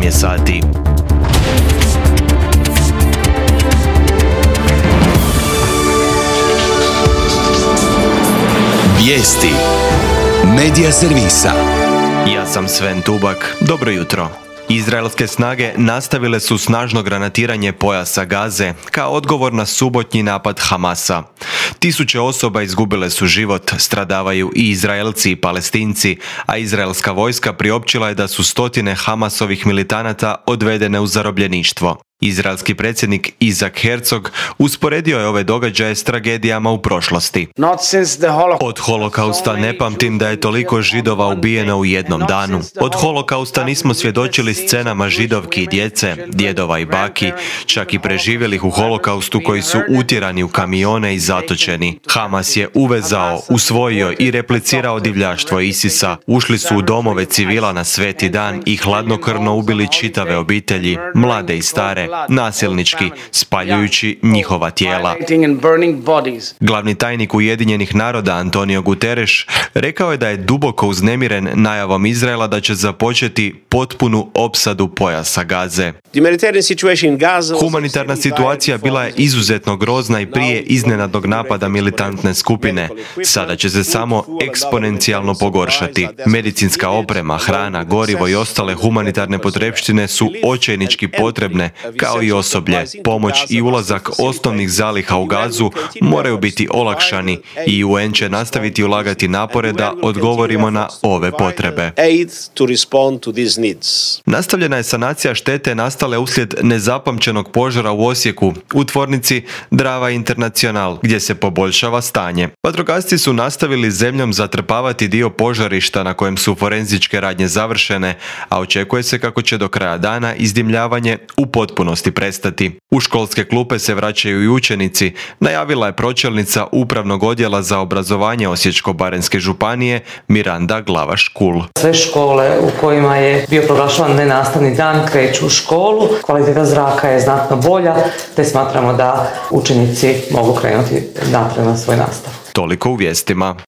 je sati. Vijesti Medija servisa. Ja sam Sven Tubak. Dobro jutro. Izraelske snage nastavile su snažno granatiranje pojasa Gaze kao odgovor na subotnji napad Hamasa. Tisuće osoba izgubile su život, stradavaju i Izraelci i Palestinci, a izraelska vojska priopćila je da su stotine Hamasovih militanata odvedene u zarobljeništvo. Izraelski predsjednik Isaac Herzog usporedio je ove događaje s tragedijama u prošlosti. Od holokausta ne pamtim da je toliko Židova ubijeno u jednom danu. Od holokausta nismo svjedočili scenama židovki i djece, djedova i baki, čak i preživjelih u holokaustu koji su utjerani u kamione i zatočeni. Hamas je uvezao, usvojio i replicirao divljaštvo ISIS-a. Ušli su u domove civila na sveti dan i hladnokrvno ubili čitave obitelji, mlade i stare, nasilnički, spaljujući njihova tijela. Glavni tajnik Ujedinjenih naroda Antonio Guterres rekao je da je duboko uznemiren najavom Izraela da će započeti potpunu opsadu pojasa Gaze. Humanitarna situacija bila je izuzetno grozna i prije iznenadnog napada militantne skupine. Sada će se samo eksponencijalno pogoršati. Medicinska oprema, hrana, gorivo i ostale humanitarne potrepštine su očajnički potrebne, kao i osoblje. Pomoć i ulazak osnovnih zaliha u Gazu moraju biti olakšani i UN će nastaviti ulagati napore da odgovorimo na ove potrebe. Nastavljena je sanacija štete nastale uslijed nezapamćenog požara u Osijeku u tvornici Drava International, gdje se poboljšava stanje. Vatrogasci su nastavili zemljom zatrpavati dio požarišta na kojem su forenzičke radnje završene, a očekuje se kako će do kraja dana izdimljavanje u potpunosti prestati. U školske klupe se vraćaju i učenici, najavila je pročelnica Upravnog odjela za obrazovanje Osječko-baranjske županije Miranda Glavaš-Kul. Sve škole u kojima je bio proglašavan nenastavni dan kreću u školu, kvaliteta zraka je znatno bolja, te smatramo da učenici mogu krenuti naprijed na svoj nastav. Toliko u vijestima.